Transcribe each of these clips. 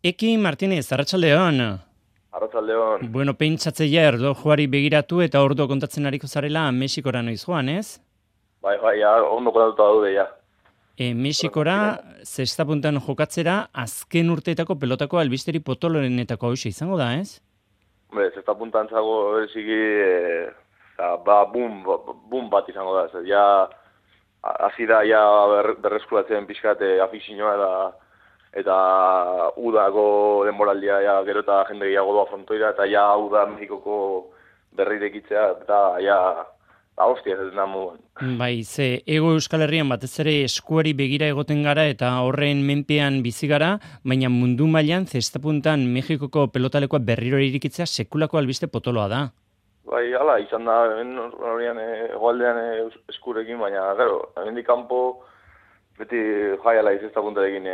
Eki Martinez, arratsaldeon. Arratsaldeon. Bueno, pentsatzeia erlojuari begiratu eta ordu kontatzen ariko zarela Mexikora noiz joan, ez? Bai, ja, ondo kodatuta daude, ja. Mexikora, zesta puntan jokatzera, azken urteetako pelotako albisteri potolorenetako hausia izango da, ez? Hombre, zesta puntan zago, bereziki, boom bat izango da. Zer, ja, hasi da, ja, berreskuratzen pixkat afizioa eta udako denboraldia, ja, gero eta jende gehiago doa frontoira, eta ja, uda Mexikoko berrirekitzea, eta ja, hostia, ez da moduan. Bai, ze ego Euskal Herrian batez ere eskuari begira egoten gara eta horren menpean bizi gara, baina mundu mailan zesta puntan Mexikoko pelotalekoa berriro irikitzea sekulako albiste potoloa da. Bai, hala, izan da, horian egoaldean eskurekin, baina, gero, hemendik kanpo, beti jaiala izazta puntarekin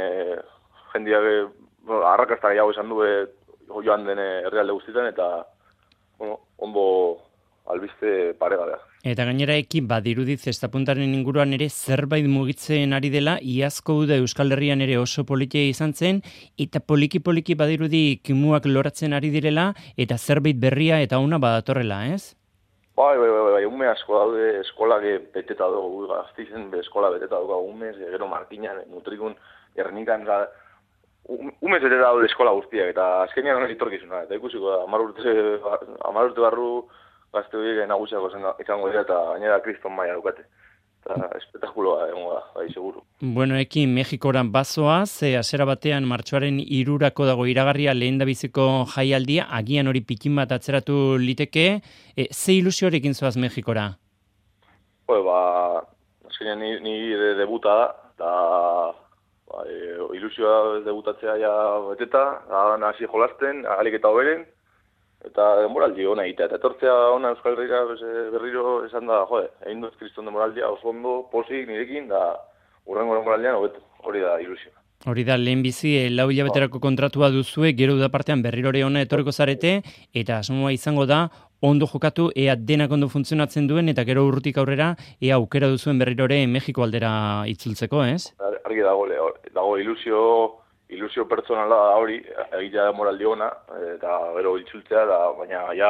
jendiak arrakasta gehiago izan du joan den herrialde guztietan, eta, bueno, ondo albiste paregabea. Eta gainera badirudi zesta puntaren inguruan ere zerbait mugitzen ari dela, iazko uda Euskal Herrian ere oso politia izan zen, eta poliki badirudi kimuak loratzen ari direla, eta zerbait berria eta una badatorrela, ez? Bai, ume asko daude eskolak beteta dugu, gaztizen eskola beteta dugu umez, gero Markinan, Mutrikun, Gernikan, umez beteta daude eskola guztiak, eta azkenean hori etorkizuna, eta ikusiko da, 10 urte barru gazte horiek nagusiako izango dira, eta gainera kriston maila dukate. Eta espetakuloa egongo da, bai, seguru. Bueno, Mexikoran bazoa, ze hasiera batean martxoaren 3 dago iragarria lehendabiziko jaialdia, agian hori pikin bat atzeratu liteke, ze ilusioarekin zoaz Mexikora? Azkenean ni debuta da, eta ilusioa debutatzea ja beteta, hasi jolasten, ahalik eta hoberen, eta denboraldi ona egitea, eta etortzea ona Euskal Herrira berriro esan da, egin dut kriston denboraldia, oso ondo, posik nirekin, da urrengo denboraldian hobeto, hori da ilusioa. Hori da, lehenbizi, 4 hilabeterako kontratua duzue, gero da partean berrirore ona etorriko zarete, eta asmoa izango da, ondo jokatu, ea denak ondo funtzionatzen duen, eta gero urrutik aurrera, ea aukera duzuen berrirore Mexiko aldera itzultzeko, ez? Argi dago ilusio pertsonala da hori, egitea demoraldi ona, eta gero itzultzea, baina ja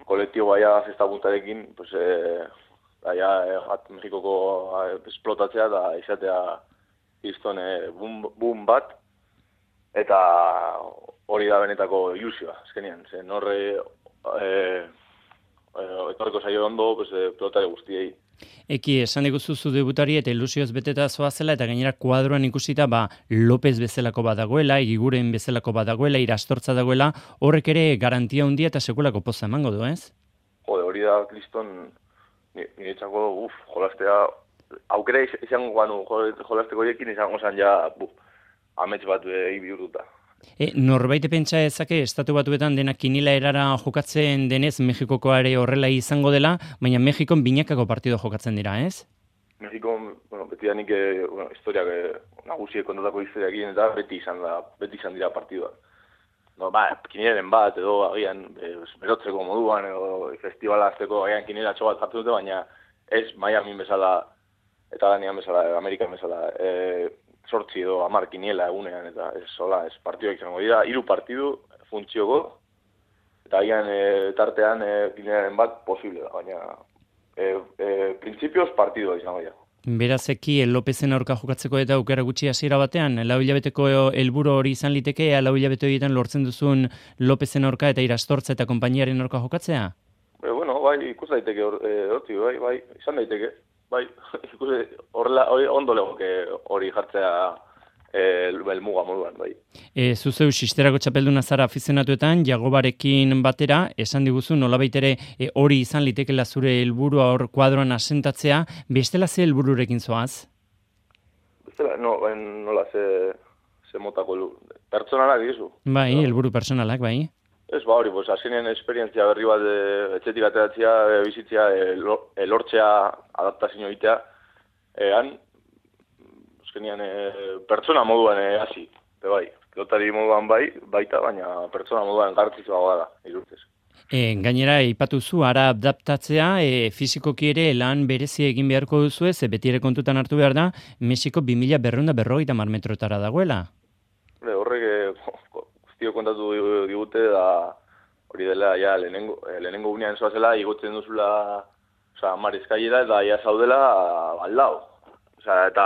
kolektiboa ja zesta puntarekin, Mexikoko esplotatzea da izatea izton boom bat, eta hori da benetako ilusioa, azkenean, zen horre etorriko zaio ondo pelotare guztiei. Esan diguzu zu debutari eta ilusioz beteta zoazela, eta gainera kuadroan ikusita López bezalako badagoela, Egiguren bezalako badagoela, Irastortza dagoela, horrek ere garantia handia eta sekulako poza emango du, ez? Hori da, kriston, niretzako, jolastea, aukera izango ganu jolasteko horiekin izango zan ja, amets bat egin bihurtuta. Norbait pentsa ezake estatu batuetan denak kinila erara jokatzen denez Mexikoko ere horrela izango dela, baina Mexikon binakako partido jokatzen dira, ez? Mexikon, beti da nik historiak nagusiek kontatako historiakin eta beti izan dira partiduak. Kinilaren bat edo agian berotzeko moduan edo festivala azteko agian kinilatxo bat jartu dute, baina ez Miami bezala eta Danian bezala, Amerikan bezala, 8 edo 10 kiniela egunean, eta ez partiduak izango dira, 3 partidu funtzioko, eta agian tartean kinielaren bat posible da, baina printzipioz partidua izango dira. Beraz Lópezen aurka jokatzeko eta aukera gutxi hasiera batean, 4 hilabeteko helburu hori izan liteke, 4 hilabete horietan lortzen duzun Lópezen aurka eta Irastortza eta konpainiaren aurka jokatzea? Ikus daiteke hortzi, izan daiteke. Horrela, ondo legoke hori jartzea helmuga moduan, bai. Zuzeu sisterako txapelduna zara afizionatuetan, Jagobarekin batera, esan diguzu nolabait ere hori izan litekela zure helburua hor kuadroan asentatzea, bestela ze helbururekin zoaz? Bestela, nola ze motako pertsonalak dizu. Bai, helburu pertsonalak, bai. Ez hori, azkenean esperientzia berri bat etxetik ateratzea, bizitzea, lortzea, adaptazio egitea, azkenean pertsona moduan hasi, pilotari moduan baita, baina pertsona moduan garrantzitsua da, irurtez. Gainera, ipatuzu, ara adaptatzea, fizikoki ere lan berezia egin beharko duzu ez, beti ere kontutan hartu behar da, Mexiko 2140 metrotara dagoela. Horrek guztio kontatu digute, da hori dela, ja, lehenengo unean zoazela, igotzen duzula, oza, marizkailera, eta ja zaudela, aldao. Oza, eta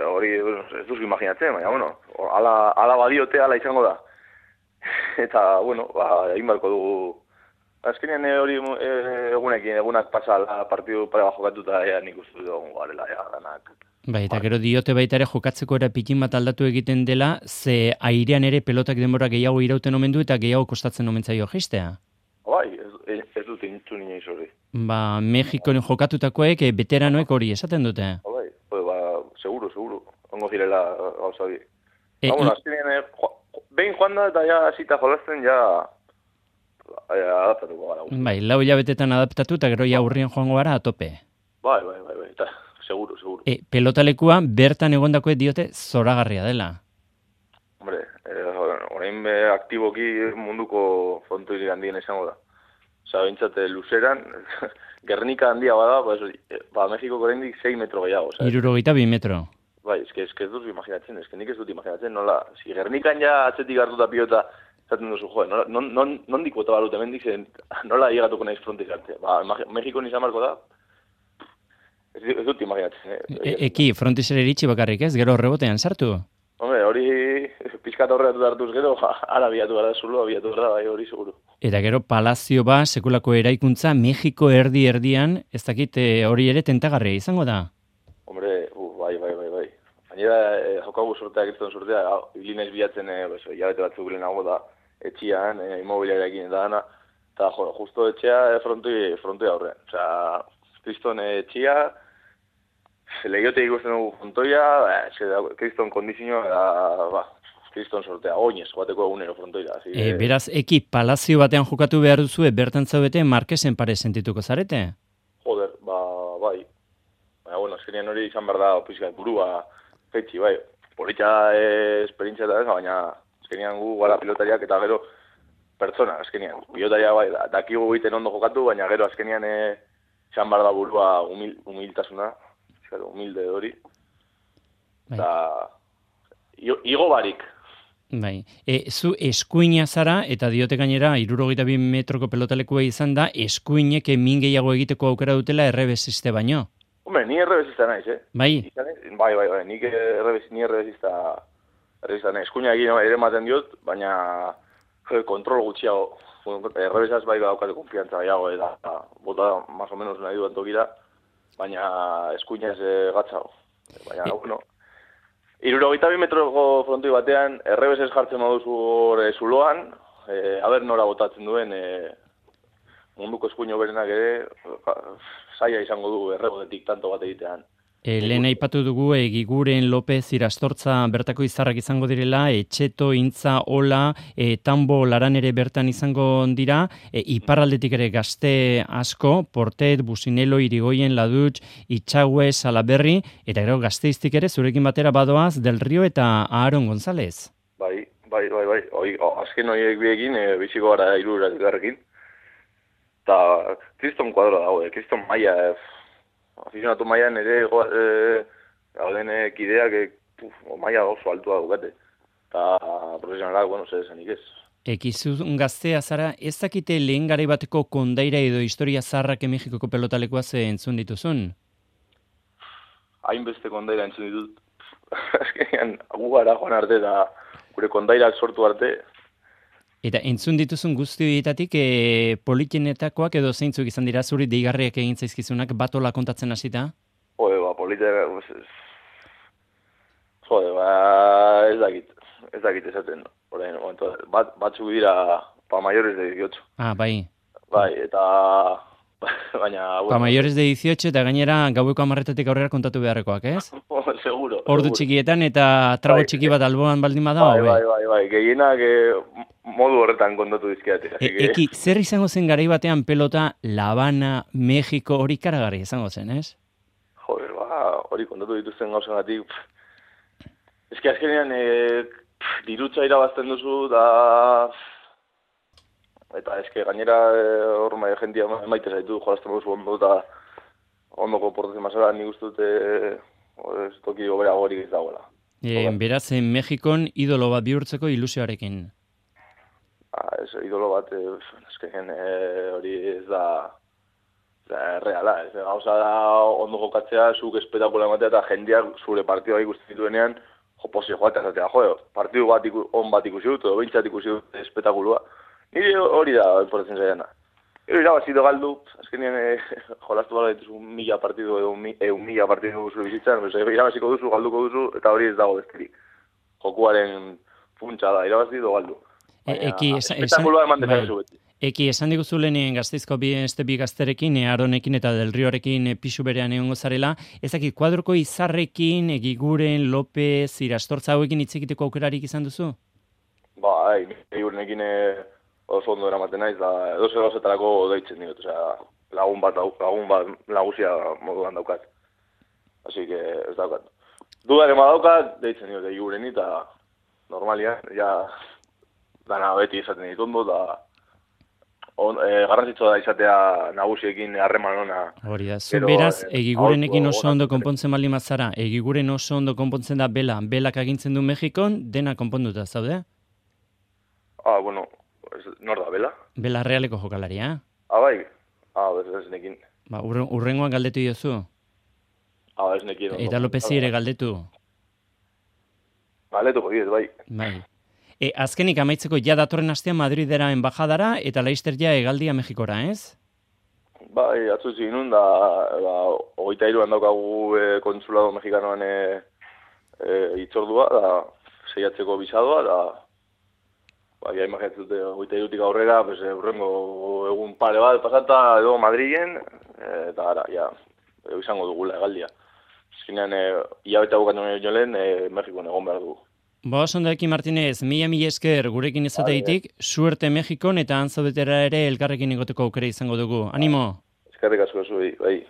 hori ez duzu imaginatzen, baina, bueno, ala badiote, ala izango da. Eta, bueno, egin barko dugu. Azkenean hori egunak pasa partidu pare bat jokatuta, nik uste dugu garela, danak. Bai, eta gero diote baita ere jokatzeko era pikin bat aldatu egiten dela, ze airean ere pelotak denbora gehiago irauten omen du eta gehiago kostatzen omen zaio jistea. Bai, ez dut intzun inoiz hori. Ba, Mexikon jokatutakoek, veteranoek hori esaten dute. Bai, seguro, ongo zirela gauza bi. Bueno, azkenean, behin joan da eta ja zita jolazten, ja adaptatuko gara. Bai, 4 hilabetetan adaptatu eta gero ja urrien joango gara atope. Bai, eta seguro. Pelotalekua bertan egondakoek diote zoragarria dela. Hombre, orain aktiboki munduko frontoirik handien izango da. Osa, bintzate luzeran, Gernika handia bada, Mexikoko oraindik 6 metro gehiago. 62 metro. Bai, ez dut imaginatzen, nik ez dut imaginatzen, nola, si Gernikan ja atzetik hartuta pilota, zaten duzu, nondik bota balut, hemen dizen, nola llegatuko naiz frontiz arte. Ba, Mexikon izan marko da, ez dut imaginatzen. Eki, frontizera iritsi bakarrik ez, gero rebotean sartu? Hombre, hori pizkat horretu hartuz gero, ara biatu gara zulo, biatu gara, bai, hori seguru. Eta gero palazio ba, sekulako eraikuntza, Mexiko erdian, ez dakit hori ere tentagarria izango da? Hombre, bai. Gainera, jokagu sorteak ez sortea, bilinez bilatzen, hilabete batzuk lehenago da, etxian, immobiliarekin eta dana, eta justo etxea frontoi aurrean. Osea, kriston etxia, lehiote ikusten dugu frontoia, kriston kondizioa, eta, kriston sortea, oinez, joateko egunero frontoira. Beraz, Eki, palazio batean jokatu behar duzu, bertan zaudete, Marquesen pare sentituko zarete? Joder, bai. Baina, bueno, azkenean hori izan behar da, pizkat, burua, fetxi, bai. Politxa esperientzia eta ez, baina azkenean gu gara pilotariak eta gero pertsona, azkenean. Pilotaria, bai, dakigu egiten ondo jokatu, baina gero azkenean izan behar da burua humiltasuna, humilde hori. Eta igo barik. Bai. Zu eskuina zara, eta diote gainera, 62 metroko pelotalekua izan da, eskuinek min gehiago egiteko aukera dutela errebesiste baino. Hombre, ni errebesista naiz, Bai? Bai, ni errebesista naiz. Eskuina egin ere ematen diot, baina kontrol gutxiago. Errebesaz bai daukate konfiantza gehiago, eta bota más o menos nahi duan tokira, baina eskuina ez gatzago. Baina, bueno, 62 metroko frontoi batean, errebesez jartzen baduzu zuloan, aber nora botatzen duen, munduko eskuino berenak ere, zaila izango du errebotetik tanto bat egitean. Lehen aipatu dugu Giguren, López, Irastortza bertako izarrak izango direla, Etxeto, Intza, Ola, Tambo, Laran ere bertan izango dira, iparraldetik ere gazte asko, Portet, Businelo, Irigoyen, Ladutx, Itxague, Salaberri, eta gero gazteiztik ere zurekin batera badoaz Del Rio eta Aaron González. Bai. Azken horiek biekin, biziko gara iruratik eta kriston kuadro dago, kriston maia, afizionatu maian ere gauden kideak maia oso altua dukate. Eta profesionalak, bueno, zer esanik ez. Ekizun gaztea zara, ez dakite lehen garai bateko kondaira edo historia zarrak Mexikoko pelotalekoa ze entzun dituzun? Hainbeste kondaira entzun ditut. Azkenean, gu gara joan arte eta gure kondairak sortu arte. Eta entzun dituzun guzti horietatik politenetakoak edo zeintzuk izan dira zuri deigarriak egin zaizkizunak batola kontatzen hasita? Jode, ez dakit esaten. Batzuk dira pa mayores de 18. Ah, bai. Bai, eta baina... Pa mayores de 18 eta gainera gaueko 10:00 aurrera kontatu beharrekoak, ez? Seguro. Ordu txikietan eta trago txiki bat alboan baldin bada, Bai, gehienak modu horretan kontatu dizkiate. Eki, zer izango zen garai batean pelota La Habana, Mexiko, hori karagarri izango zen, ez? Joder, hori kontatu dituzten gauzengatik. Eski azkenean dirutza irabazten duzu eta eske gainera hor jentia maite zaitu jolazten duzu ondo eta ondoko portatzen mazara nik uste dute toki gobera gorik ez dagoela. Beraz, Mexikon idolo bat bihurtzeko ilusioarekin. Ez, idolo bat, azken hori ez da reala. Gauza da ondo jokatzea, zuk espektakula ematea eta jendeak zure partidua ikusten dituenean, posi joatea zatea, partidu bat on bat ikusi dut, edo bintzat ikusi dut espektakulua. Nire hori da, importatzen zaiana. Irabazido galdu, azkenean jolastu bala dituzu 1000 partidu edo 1000 partidu zure bizitzan, irabaziko duzu, galduko duzu, eta hori ez dago besterik. Jokuaren funtsa da, irabazido galdu. Espektakulua eman dezakezu beti. Eki, esan diguzu lehenien Gasteizko bi gazterekin, Aronekin eta Del Riorekin pisu berean egongo zarela, ezakit, kuadroko Izarrekin, Egiguren, López, Irastortza hauekin hitz egiteko aukerarik izan duzu? Egigurenekin oso ondo eramaten naiz, da edoze gauzetarako deitzen diot, lagun bat lagusia moduan daukat. Así que ez daukat. Dudaren badaukat, deitzen diot Egigureni, eta normalian, dana beti izaten ditondo, da garrantzitsua da izatea nagusiekin harreman ona. Hori da, zu beraz, Egigurenekin oso ondo konpontzen bali mazara, Egiguren oso ondo konpontzen da belak agintzen du Mexikon, dena konponduta, zaude? Bueno, nor da, bela? Bela realeko jokalaria. Bai? Ez nekin. Urrengoan galdetu diozu? Ez nekin. Eta Lopezi ere galdetu? Galdetuko diet, bai. Bai. Azkenik amaitzeko datorren astean Madridera enbajadara eta Laister hegaldia Mexikora, ez? Bai, atzutzi ginun, da 23an daukagu konsulado mexikanoan itzordua, da seiatzeko bisadoa, da imaginatzen dute 23tik aurrera, urrengo egun pare bat pasata edo Madrilen, eta gara, izango dugula hegaldia. Azkenean, hilabete bukatu jolen, Mexikon egon behar dugu. Osondoekin Martinez, mila esker gurekin izateitik, suerte Mexikon eta antzaudetera ere elkarrekin egoteko aukera izango dugu. Animo! Eskerrik asko zuei, bai.